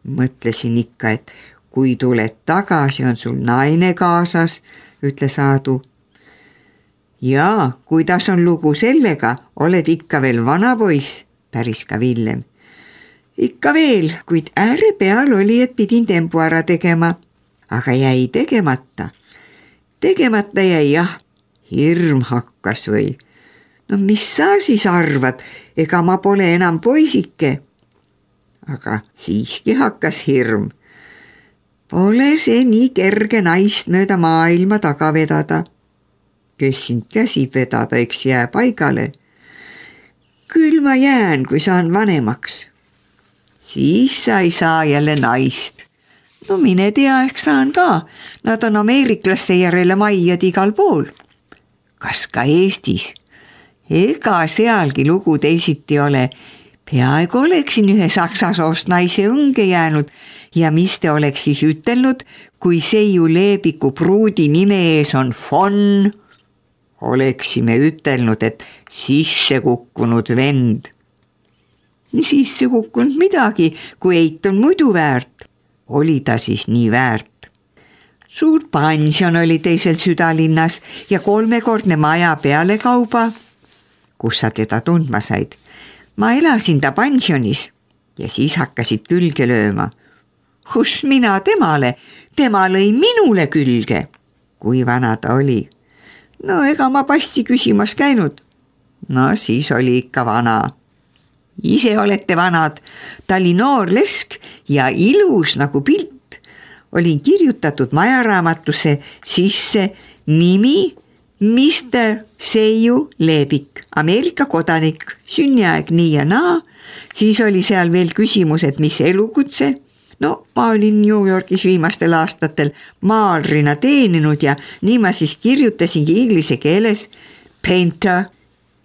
Mõtlesin ikka, et kui tuled tagasi, on sul naine kaasas, ütles Aadu. Jaa, kuidas on lugu sellega, oled ikka veel vana poiss, päris ka Villem. Ikka veel, kuid ääre peal oli, et pidin tempu ära tegema, aga jäi tegemata. Tegemata jäi jah, hirm hakkas või. No mis sa siis arvad, ega ma pole enam poisike. Aga siiski hakkas hirm. Pole see nii kerge naist mööda maailma taga vedada. Kes sind käsib vedada, eks jää paigale. Küll ma jään, kui saan vanemaks. Siis sa ei saa jälle naist. No mine tea, ehk saan ka. Nad on ameeriklaste järele majjad igal pool. Kas ka Eestis? Ega sealgi lugu teisiti ole. Peaaegu oleksin ühe saksa soost naise õnge jäänud ja mis te oleks siis ütelnud, kui Seiu Leebiku pruudi nime ees on von? Oleksime ütelnud, et sisse kukkunud vend. Sisse kukkunud midagi, kui eit on muidu väärt. Oli ta siis nii väärt. Suur pension oli teisel südalinnas ja 3-kordne maja peale kauba. Kus sa teda tundma said? Ma elasin ta pensionis ja siis hakkasid külge lööma. Kus mina temale? Tema lõi minule külge. Kui vana ta oli? No ega ma passi küsimas käinud. No siis oli ikka vana. Ise olete vanad. Ta oli noor lesk ja ilus nagu pilt. Olin kirjutatud majaraamatusse sisse nimi Mr. Seiu Leebik, Ameerika kodanik, sünniaeg nii ja naa. Siis oli seal veel küsimus, et mis elukutse. No ma olin New Yorgis viimastel aastatel maalrina teeninud ja nii ma siis kirjutasingi inglise keeles painter.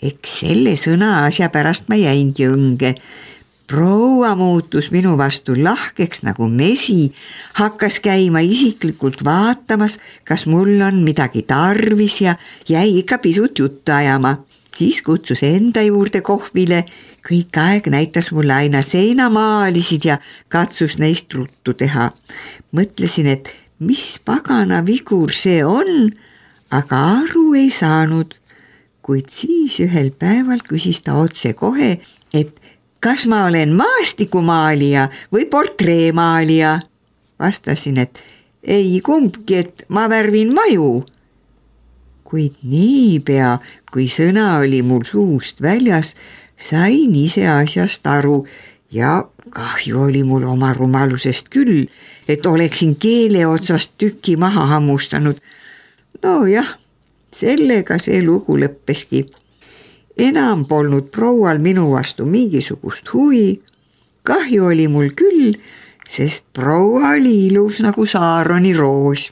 Eks selle sõna asja pärast ma jäingi õnge. Proua muutus minu vastu lahkeks nagu mesi, hakkas käima isiklikult vaatamas, kas mul on midagi tarvis ja jäi ikka pisut juttu ajama. Siis kutsus enda juurde kohvile, kõik aeg näitas mulle aina seinamaalisid ja katsus neist ruttu teha. Mõtlesin, et mis pagana vigur see on, aga aru ei saanud. Kuid siis ühel päeval küsis ta otse kohe, et kas ma olen maastikumaalija või portreemaalija? Vastasin, et ei kumbki, et ma värvin maju. Kuid niipea, kui sõna oli mul suust väljas, sain ise asjast aru ja kahju oli mul oma rumalusest küll, et oleksin keele otsast tüki maha hammustanud. No jah, sellega see lugu lõppeski. Enam polnud proual minu vastu mingisugust huvi. Kahju oli mul küll, sest proua oli ilus nagu Saaroni roos.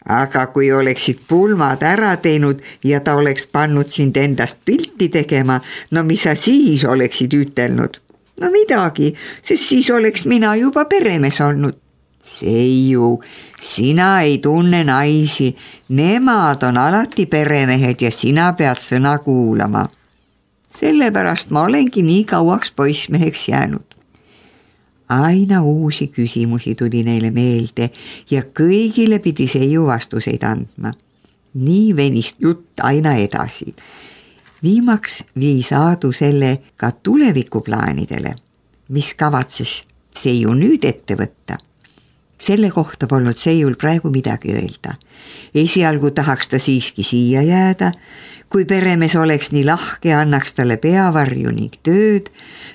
Aga kui oleksid pulmad ära teinud ja ta oleks pannud sind endast pilti tegema, no mis sa siis oleksid ütelnud? No midagi, sest siis oleks mina juba peremees olnud. Seiu, sina ei tunne naisi, nemad on alati peremehed ja sina pead sõna kuulama. Sellepärast ma olengi nii kauaks poissmeheks jäänud. Aina uusi küsimusi tuli neile meelde ja kõigile pidi Seiu vastuseid andma. Nii venis jutt aina edasi. Viimaks viis Aadu selle ka tulevikuplaanidele, mis kavatses Seiu nüüd ette võtta. Selle kohta polnud Seiul praegu midagi öelda. Esialgu tahaks ta siiski siia jääda, kui peremees oleks nii lahke ja annaks talle peavarju ning tööd.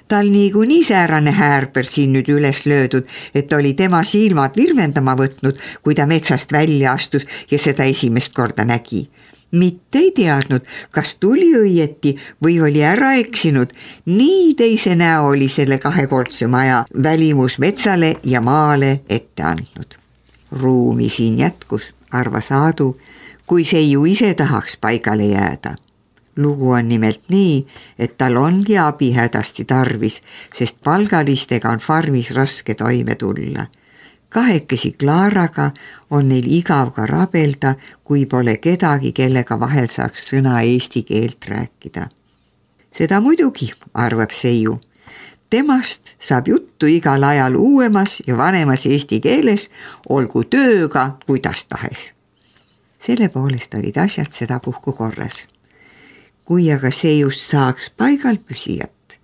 Tal niikuinii säärane häärper siin nüüd üles löödud, et oli tema silmad virvendama võtnud, kui ta metsast välja astus ja seda esimest korda nägi. Mitte ei teadnud, kas tuli õieti või oli ära eksinud. Nii teise näo oli selle kahekordse maja välimus metsale ja maale ette andnud. Ruumi siin jätkus, arvas Aadu, kui Seiu ise tahaks paigale jääda. Lugu on nimelt nii, et tal ongi abi hädasti tarvis, sest palgalistega on farmis raske toime tulla. Kahekesi Klaaraga on neil igav ka rabelda, kui pole kedagi, kellega vahel saaks sõna eesti keelt rääkida. Seda muidugi, arvab Seiu. temast saab juttu igal ajal uuemas ja vanemas eesti keeles, olgu tööga kuidas tahes. Selle poolest olid asjad sedapuhku korras. Kui aga see just saaks paigal püsijat,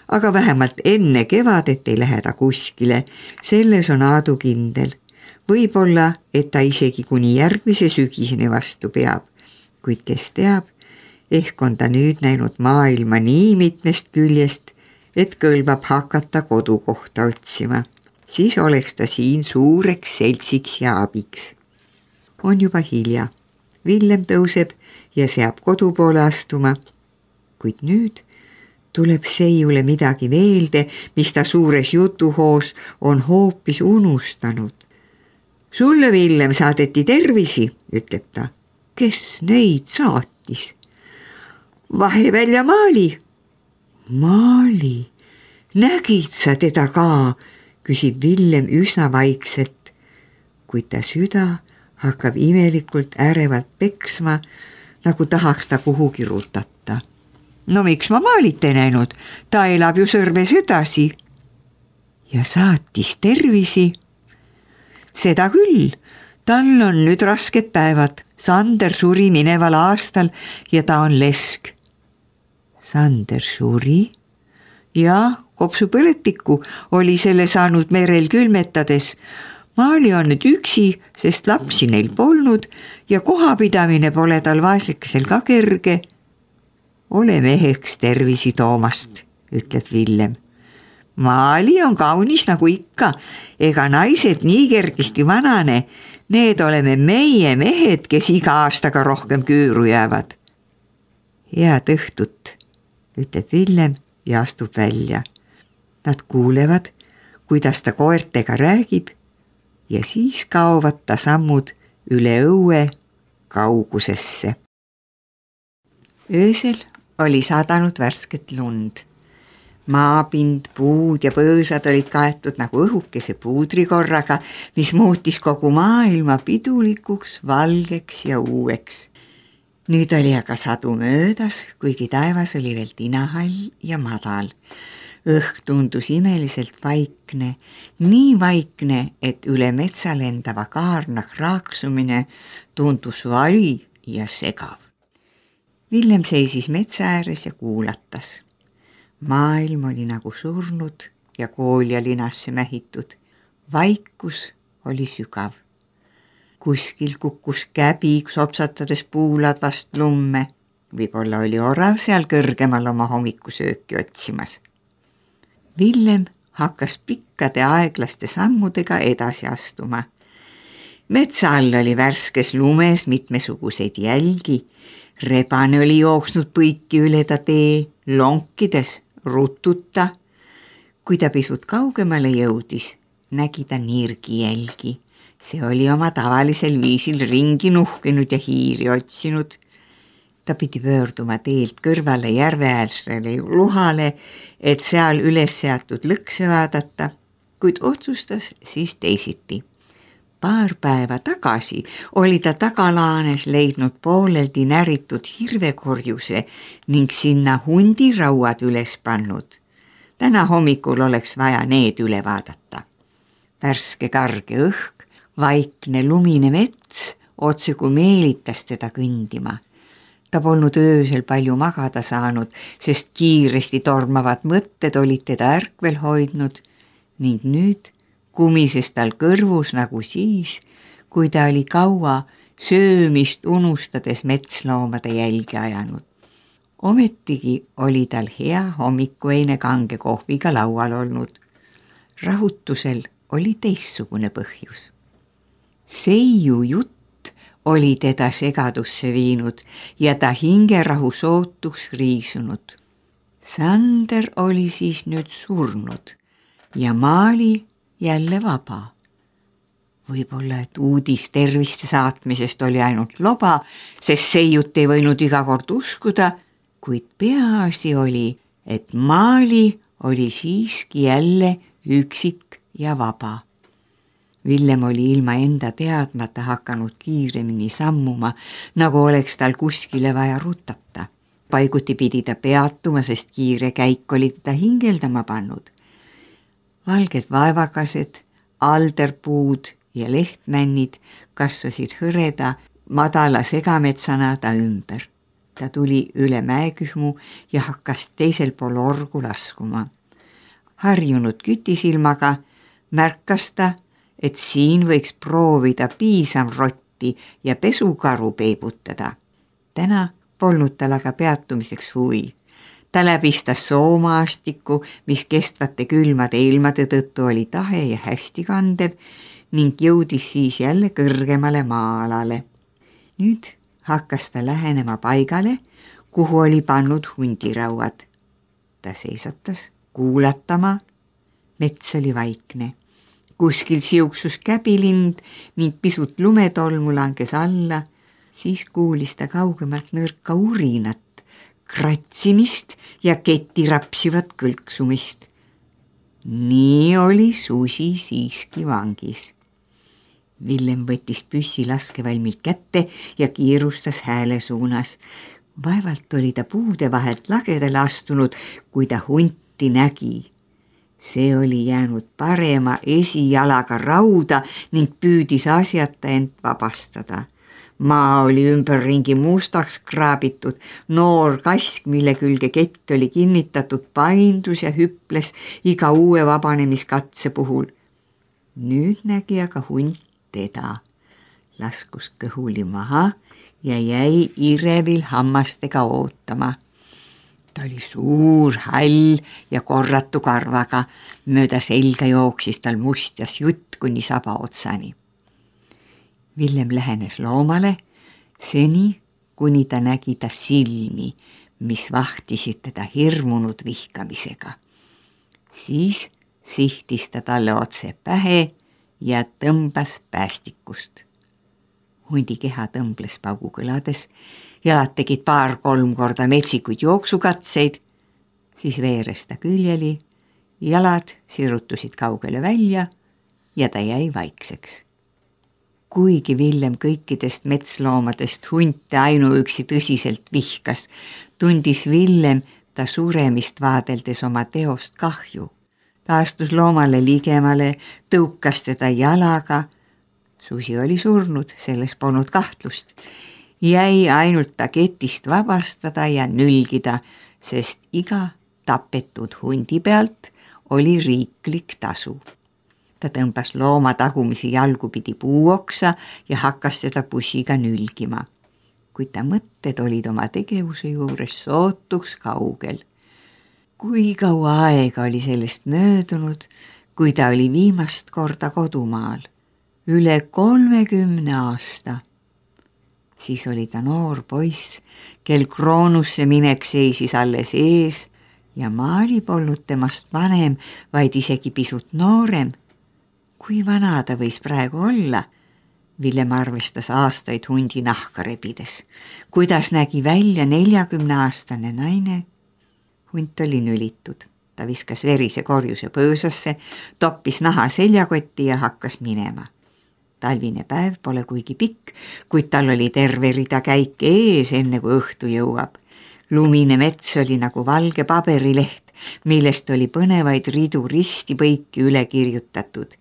aga vähemalt enne kevadet ei lähe ta kuskile, selles on Aadu kindel. Võib-olla, et ta isegi kuni järgmise sügiseni vastu peab, kuid kes teab, ehk on ta nüüd näinud maailma nii mitmest küljest, et kõlbab hakata kodukohta otsima. Siis oleks ta siin suureks seltsiks ja abiks. On juba hilja. Villem tõuseb ja seab kodu poole astuma, kuid nüüd tuleb Seiule midagi meelde, mis ta suures jutuhoos on hoopis unustanud. Sulle, Villem, saadeti tervisi, ütleb ta. Kes neid saatis? Vahevälja Maali. Maali? Nägid sa teda ka? Küsib Villem üsna vaikselt, kuid ta süda hakkab imelikult ärevalt peksma, nagu tahaks ta kuhugi rutata. No miks ma Maalit ei näinud? Ta elab ju Sõrves edasi. Ja saatis tervisi. Seda küll, tal on nüüd rasked päevad. Sander suri mineval aastal ja ta on lesk. Sander suri? Ja kopsupõletiku oli selle saanud merel külmetades. Maali on nüüd üksi, sest lapsi neil polnud ja kohapidamine pole tal vaeslikesel ka kerge. Ole meheks tervisi toomast, ütleb Villem. Maali on kaunis nagu ikka, ega naised nii kergesti vanane, need oleme meie mehed, kes iga aastaga rohkem küüru jäävad. Head õhtut, ütleb Villem ja astub välja. Nad kuulevad, kuidas ta koertega räägib ja siis kaovad ta sammud üle õue kaugusesse. Öösel oli sadanud värsket lund. Maapind, puud ja põõsad olid kaetud nagu õhukese puudrikorraga, mis muutis kogu maailma pidulikuks, valgeks ja uueks. Nüüd oli aga sadu möödas, kuigi taevas oli veel tinahall ja madal. Õhk tundus imeliselt vaikne, nii vaikne, et üle metsa lendava kaarna kraaksumine tundus vali ja segav. Villem seisis metsa ääres ja kuulatas. Maailm oli nagu surnud ja koolja linasse mähitud. Vaikus oli sügav. Kuskil kukkus käbi sopsatades puuladvast lumme. Võib-olla oli orav seal kõrgemal oma hommikusööki otsimas. Villem hakkas pikkade aeglaste sammudega edasi astuma. Metsa all oli värskes lumes mitmesuguseid jälgi. Rebane oli jooksnud põiki üle ta tee, lonkides, rututa. Kui ta pisut kaugemale jõudis, nägi ta nirgi jälgi. See oli oma tavalisel viisil ringi nuhkinud ja hiiri otsinud. Ta pidi pöörduma teelt kõrvale järveäärsele luhale, et seal üles seatud lõkse vaadata, kuid otsustas siis teisiti. Paar päeva tagasi oli ta tagalaanes leidnud pooleldi näritud hirvekorjuse ning sinna hundirauad üles pannud. Täna hommikul oleks vaja need üle vaadata. Värske karge õhk, vaikne lumine mets otse kui meelitas teda kõndima. Ta polnud öösel palju magada saanud, sest kiiresti tormavad mõtted olid teda ärkvel hoidnud ning nüüd kumises tal kõrvus nagu siis, kui ta oli kaua söömist unustades metsloomade jälgi ajanud. Ometigi oli tal hea hommikueine kange kohviga laual olnud. Rahutusel oli teistsugune põhjus. Seiu jutt oli teda segadusse viinud ja ta hingerahu sootuks riisunud. Sander oli siis nüüd surnud ja Maali jälle vaba. Võib-olla, et uudis terviste saatmisest oli ainult loba, sest Seiut ei võinud iga kord uskuda, kuid peaasi oli, et Maali oli siiski jälle üksik ja vaba. Villem oli ilma enda teadmata hakanud kiiremini sammuma, nagu oleks tal kuskile vaja rutata. Paiguti pidi ta peatuma, sest kiire käik oli teda hingeldama pannud. Valged vaevakased, alderpuud ja lehtmännid kasvasid hõreda madala segametsana ta ümber. Ta tuli üle mäekühmu ja hakkas teisel pool orgu laskuma. Harjunud kütisilmaga märkas ta, et siin võiks proovida piisamrotti ja pesukaru peibutada. Täna polnud tal aga peatumiseks huvi. Ta läbistas soomaastiku, mis kestvate külmade ilmade tõttu oli tahe ja hästi kandev ning jõudis siis jälle kõrgemale maa-alale. Nüüd hakkas ta lähenema paigale, kuhu oli pannud hundirauad. Ta seisatas kuulatama. Mets oli vaikne. Kuskil siuksus käbilind ning pisut lumetolmu langes alla. Siis kuulis ta kaugemalt nõrka urinat, kratsimist ja keti rapsivat kõlksumist. Nii oli susi siiski vangis. Villem võttis püssi laskevalmilt kätte ja kiirustas hääle suunas. Vaevalt oli ta puude vahelt lagedale astunud, kui ta hunti nägi. See oli jäänud parema esijalaga rauda ning püüdis asjata end vabastada. Maa oli ümberringi mustaks kraabitud, noor kask, mille külge kett oli kinnitatud, paindus ja hüples iga uue vabanemiskatse puhul. Nüüd nägi aga hunt teda, laskus kõhuli maha ja jäi irevil hammastega ootama. Ta oli suur, hall ja korratu karvaga, mööda selga jooksis tal mustjas jutt kuni saba otsani. Villem lähenes loomale, seni kuni ta nägi ta silmi, mis vahtisid teda hirmunud vihkamisega. Siis sihtis ta talle otse pähe ja tõmbas päästikust. Hundi keha tõmbles paugukõlades, jalad tegid 2-3 korda metsikuid jooksukatseid, siis veeres ta küljeli, jalad sirutusid kaugele välja ja ta jäi vaikseks. Kuigi Villem kõikidest metsloomadest hunte ainuüksi tõsiselt vihkas, tundis Villem ta suremist vaadeldes oma teost kahju. Ta astus loomale ligemale, tõukas teda jalaga. Susi oli surnud, selles polnud kahtlust. Jäi ainult ta ketist vabastada ja nülgida, sest iga tapetud hundi pealt oli riiklik tasu. Ta tõmbas looma tagumisi jalgupidi puuoksa ja hakkas teda pussiga nülgima. Kuid ta mõtted olid oma tegevuse juures sootuks kaugel. Kui kaua aega oli sellest möödunud, kui ta oli viimast korda kodumaal? Üle 30 aasta. Siis oli ta noor poiss, kel Kroonusse minek seisis alles ees ja Maali polnud temast vanem, vaid isegi pisut noorem. Kui vana ta võis praegu olla? Villem arvestas aastaid hundi nahka rebides. Kuidas nägi välja 40-aastane naine? Hunt oli nülitud. Ta viskas verise korjuse põõsasse, toppis naha seljakotti ja hakkas minema. Talvine päev pole kuigi pikk, kuid tal oli terve rida käike ees, enne kui õhtu jõuab. Lumine mets oli nagu valge paberileht, millest oli põnevaid ridu risti-põiki üle kirjutatud.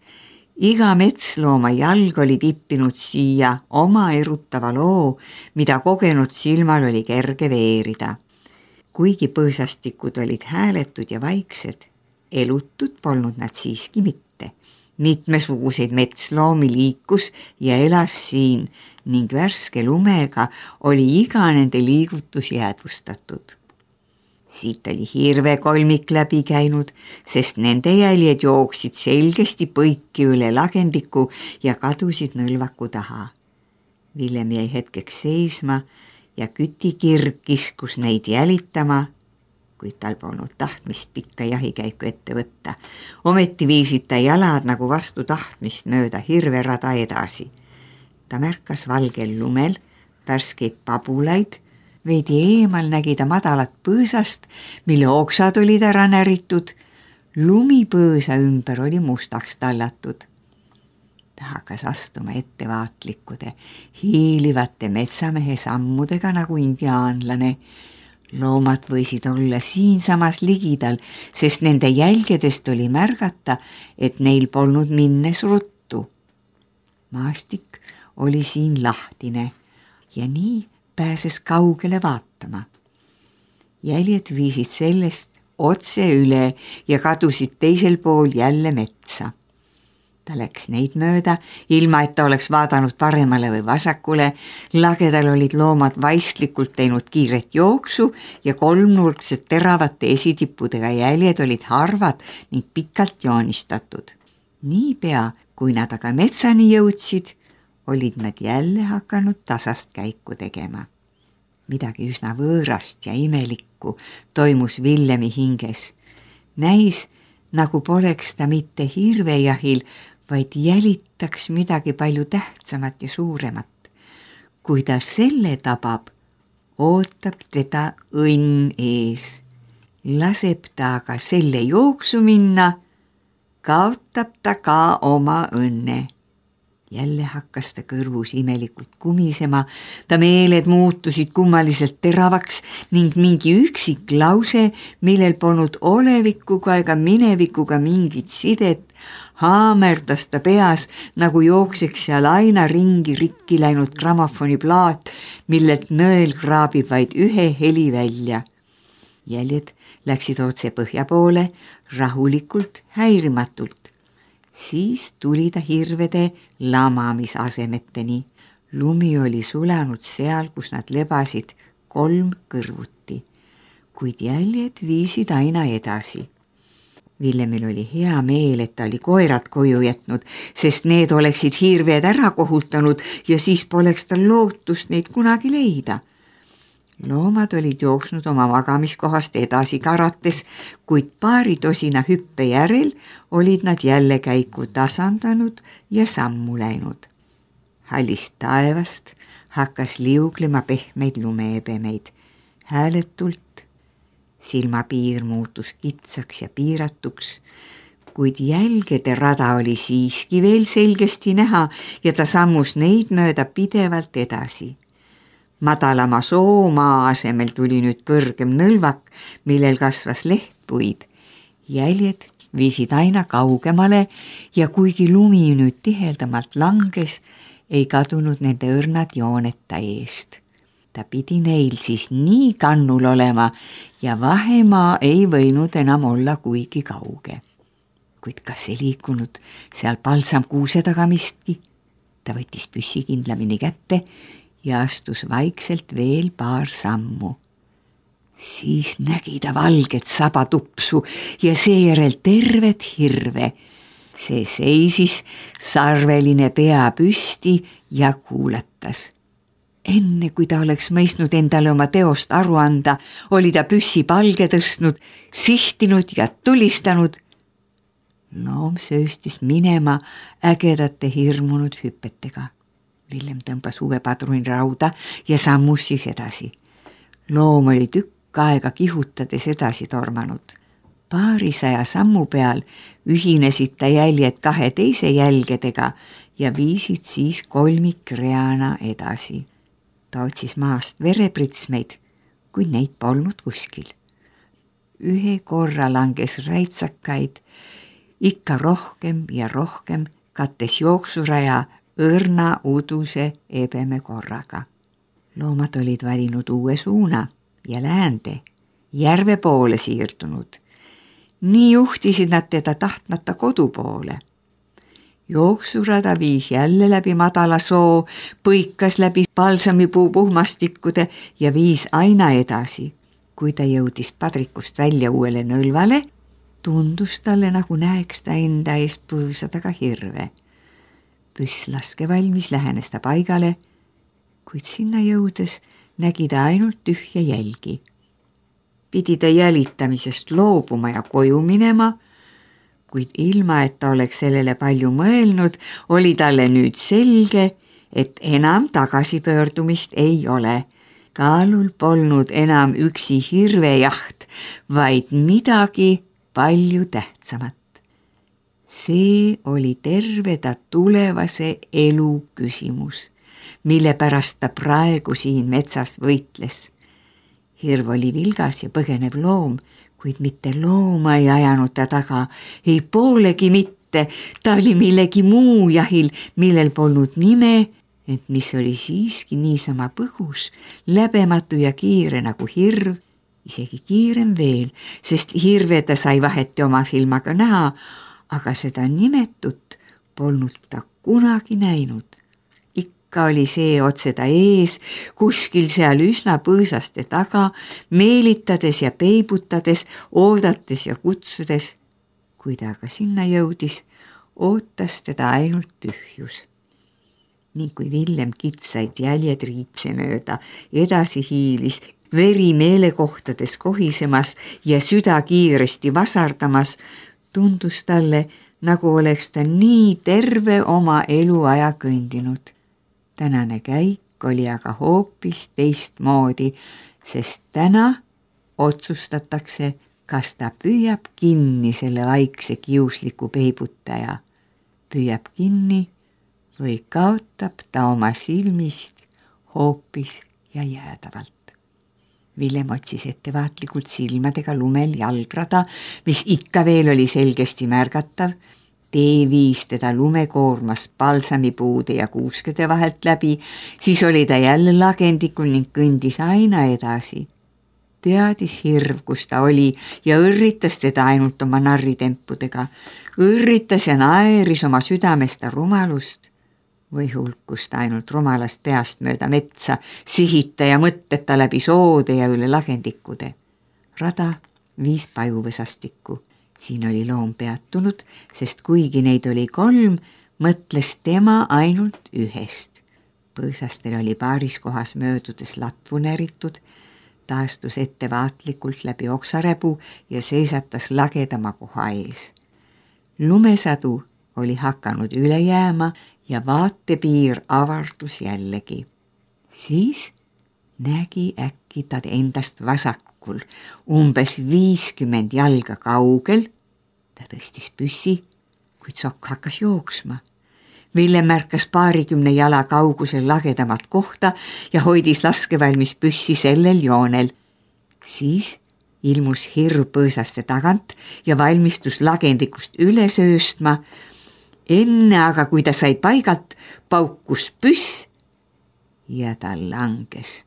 Iga metslooma jalg oli tippinud siia oma erutava loo, mida kogenud silmal oli kerge veerida. Kuigi põõsastikud olid hääletud ja vaiksed, elutud polnud nad siiski mitte. Mitmesuguseid metsloomi liikus ja elas siin ning värske lumega oli iga nende liigutus jäädvustatud. Siit oli hirvekolmik läbi käinud, sest nende jäljed jooksid selgesti põiki üle lagendiku ja kadusid nõlvaku taha. Villem jäi hetkeks seisma ja kütikirg kiskus neid jälitama, kuid tal polnud tahtmist pikka jahikäiku ette võtta. Ometi viisid ta jalad nagu vastu tahtmist mööda hirverada edasi. Ta märkas valgel lumel värskeid pabulaid, veidi eemal nägi ta madalat põõsast, mille oksad olid ära näritud. Lumipõõsa ümber oli mustaks tallatud. Ta hakkas astuma ettevaatlikkude, hiilivate metsamehe sammudega nagu indiaanlane. Loomad võisid olla siinsamas ligidal, sest nende jälgedest oli märgata, et neil polnud minnes ruttu. Maastik oli siin lahtine ja nii pääses kaugele vaatama. Jäljed viisid sellest otse üle ja kadusid teisel pool jälle metsa. Ta läks neid mööda, ilma et ta oleks vaadanud paremale või vasakule. Lagedal olid loomad vaistlikult teinud kiiret jooksu ja kolmnurksed teravate esitippudega jäljed olid harvad ning pikalt joonistatud. Niipea, kui nad aga metsani jõudsid, olid nad jälle hakanud tasast käiku tegema. Midagi üsna võõrast ja imelikku toimus Villemi hinges. Näis, nagu poleks ta mitte hirvejahil, vaid jälitaks midagi palju tähtsamat ja suuremat. Kui ta selle tabab, ootab teda õnn ees. Laseb ta aga selle jooksu minna, kaotab ta ka oma õnne. Jälle hakkas ta kõrvus imelikult kumisema, ta meeled muutusid kummaliselt teravaks ning mingi üksik lause, millel polnud olevikuga ega minevikuga mingit sidet, haamerdas ta peas, nagu jookseks seal aina ringi rikki läinud grammofoniplaat, millelt nõel kraabib vaid ühe heli välja. Jäljed läksid otse põhja poole, rahulikult, häirimatult. Siis tuli ta hirvede lamamisasemeteni. Lumi oli sulanud seal, kus nad lebasid 3 kõrvuti, kuid jäljed viisid aina edasi. Villemil oli hea meel, et ta oli koerad koju jätnud, sest need oleksid hirved ära kohutanud ja siis poleks tal lootust neid kunagi leida. Loomad olid jooksnud oma magamiskohast edasi karates, kuid 2 tosina hüppe järel olid nad jälle käiku tasandanud ja sammu läinud. Hallist taevast hakkas liuglema pehmeid lumeebemeid. Hääletult silmapiir muutus kitsaks ja piiratuks, kuid jälgede rada oli siiski veel selgesti näha ja ta sammus neid mööda pidevalt edasi. Madalama soomaa asemel tuli nüüd kõrgem nõlvak, millel kasvas lehtpuid. Jäljed viisid aina kaugemale ja kuigi lumi nüüd tiheldamalt langes, ei kadunud nende õrnad jooneta eest. Ta pidi neil siis nii kannul olema ja vahemaa ei võinud enam olla kuigi kauge. Kuid kas ei liikunud seal palsamkuuse taga mistki? Ta võttis püssi kindlamini kätte ja astus vaikselt veel 2 sammu. Siis nägi ta valget sabatupsu ja seejärel tervet hirve. See seisis sarveline pea püsti ja kuulatas. Enne kui ta oleks mõistnud endale oma teost aru anda, oli ta püssi palge tõstnud, sihtinud ja tulistanud. Loom sööstis minema ägedate hirmunud hüpetega. Villem tõmbas uue padruni rauda ja sammus siis edasi. Loom oli tükk aega kihutades edasi tormanud. 200 sammu peal ühinesid ta jäljed 2 teise jälgedega ja viisid siis kolmikreana edasi. Ta otsis maast verepritsmeid, kuid neid polnud kuskil. Ühe korra langes räitsakaid, ikka rohkem ja rohkem kattes jooksuraja õrna uduse ebeme korraga. Loomad olid valinud uue suuna ja läände, järve poole siirdunud. Nii juhtisid nad teda tahtmata kodu poole. Jooksurada viis jälle läbi madala soo, põikas läbi palsamipuu puhmastikkude ja viis aina edasi. Kui ta jõudis padrikust välja uuele nõlvale, tundus talle, nagu näeks ta enda ees põõsa taga hirve. Püss laskevalmis lähenes ta paigale, kuid sinna jõudes nägi ta ainult tühja jälgi. Pidi ta jälitamisest loobuma ja koju minema, kuid ilma, et ta oleks sellele palju mõelnud, oli talle nüüd selge, et enam tagasipöördumist ei ole. Kaalul polnud enam üksi hirvejaht, vaid midagi palju tähtsamat. See oli terve ta tulevase elu küsimus, mille pärast ta praegu siin metsas võitles. Hirv oli vilgas ja põgenev loom, kuid mitte looma ei ajanud ta taga, ei poolegi mitte, ta oli millegi muu jahil, millel polnud nime, ent mis oli siiski niisama põgus, läbematu ja kiire nagu hirv, isegi kiirem veel, sest hirve ta sai vaheti oma silmaga näha, aga seda nimetut polnud ta kunagi näinud. Ikka oli see otse ta ees, kuskil seal üsna põõsaste taga, meelitades ja peibutades, oodates ja kutsudes. Kui ta aga sinna jõudis, ootas teda ainult tühjus. Ning kui Villem kitsaid jäljed riipse mööda edasi hiilis, veri meelekohtades kohisemas ja süda kiiresti vasardamas, tundus talle, nagu oleks ta nii terve oma eluaja kõndinud. Tänane käik oli aga hoopis teistmoodi, sest täna otsustatakse, kas ta püüab kinni selle vaikse kiusliku peibutaja. Püüab kinni või kaotab ta oma silmist hoopis ja jäädavalt. Villem otsis ettevaatlikult silmadega lumel jalgrada, mis ikka veel oli selgesti märgatav. Tee viis teda lumekoormas palsamipuude ja kuuskede vahelt läbi, siis oli ta jälle lagendikul ning kõndis aina edasi. Teadis hirv, kus ta oli ja õrritas teda ainult oma narritempudega. Õrritas ja naeris oma südamest rumalust või hulkus ta ainult rumalast peast mööda metsa, sihita ja mõtteta läbi soode ja üle lagendikude. Rada viis pajuvõsastikku. Siin oli loom peatunud, sest kuigi neid oli 3, mõtles tema ainult ühest. Põõsastel oli paaris kohas möödudes latvu näritud, taastus ettevaatlikult läbi oksaräbu ja seisatas lagedama koha ees. Lumesadu oli hakanud üle jääma ja vaatepiir avardus jällegi. Siis nägi äkki ta endast vasakul, umbes 50 jalga kaugel. Ta tõstis püssi, kuid sokk hakkas jooksma. Villem märkas 20 jala kaugusel lagedamat kohta ja hoidis laskevalmis püssi sellel joonel. Siis ilmus hirv põõsaste tagant ja valmistus lagendikust üle sööstma. Enne aga, kui ta sai paigalt, paukus püss ja ta langes.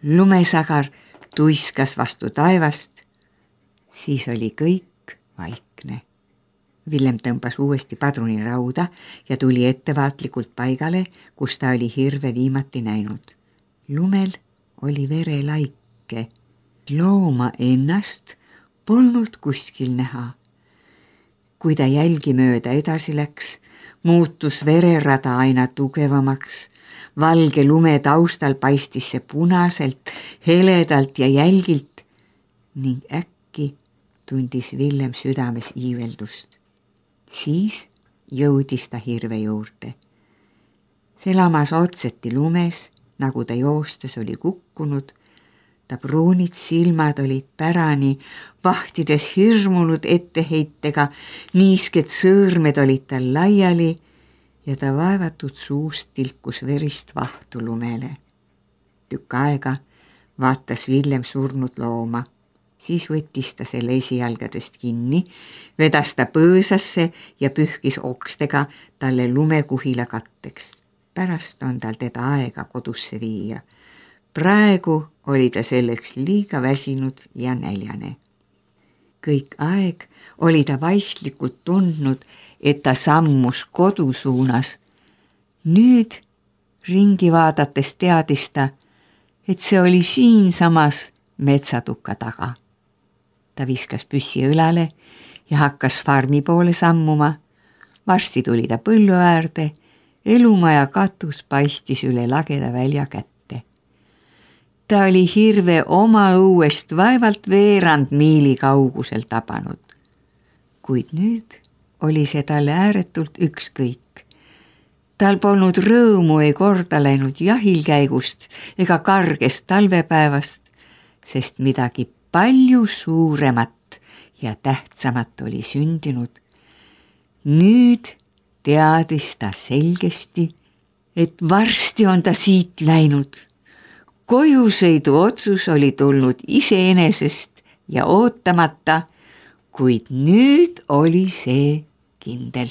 Lumesagar tuiskas vastu taevast, siis oli kõik vaikne. Villem tõmbas uuesti padrunirauda ja tuli ettevaatlikult paigale, kus ta oli hirve viimati näinud. Lumel oli verelaike. Looma ennast polnud kuskil näha. Kui ta jälgi mööda edasi läks, muutus vererada aina tugevamaks. Valge lume taustal paistis see punaselt, heledalt ja jälgilt ning äkki tundis Villem südames iiveldust. Siis jõudis ta hirve juurde. See lamas otseti lumes, nagu ta joostes oli kukkunud. Ta pruunid silmad olid pärani, vahtides hirmunud etteheitega, niisked sõõrmed olid tal laiali ja ta vaevatud suust tilkus verist vahtu lumele. Tükk aega vaatas Villem surnud looma. Siis võttis ta selle esijalgadest kinni, vedas ta põõsasse ja pühkis okstega talle lumekuhila katteks. Pärast on tal teda aega kodusse viia. Praegu oli ta selleks liiga väsinud ja näljane. Kõik aeg oli ta vaistlikult tundnud, et ta sammus kodu suunas. Nüüd ringi vaadates teadis ta, et see oli siinsamas metsatukka taga. Ta viskas püssi õlale ja hakkas farmi poole sammuma. Varsti tuli ta põllu äärde, elumaja katus paistis üle lageda välja kätte. Ta oli hirve oma õuest vaevalt veerand miili kaugusel tabanud. Kuid nüüd oli see talle ääretult ükskõik. Tal polnud rõõmu ei korda läinud jahilkäigust ega kargest talvepäevast, sest midagi palju suuremat ja tähtsamat oli sündinud. Nüüd teadis ta selgesti, et varsti on ta siit läinud. Kojusõidu otsus oli tulnud iseenesest ja ootamata, kuid nüüd oli see kindel.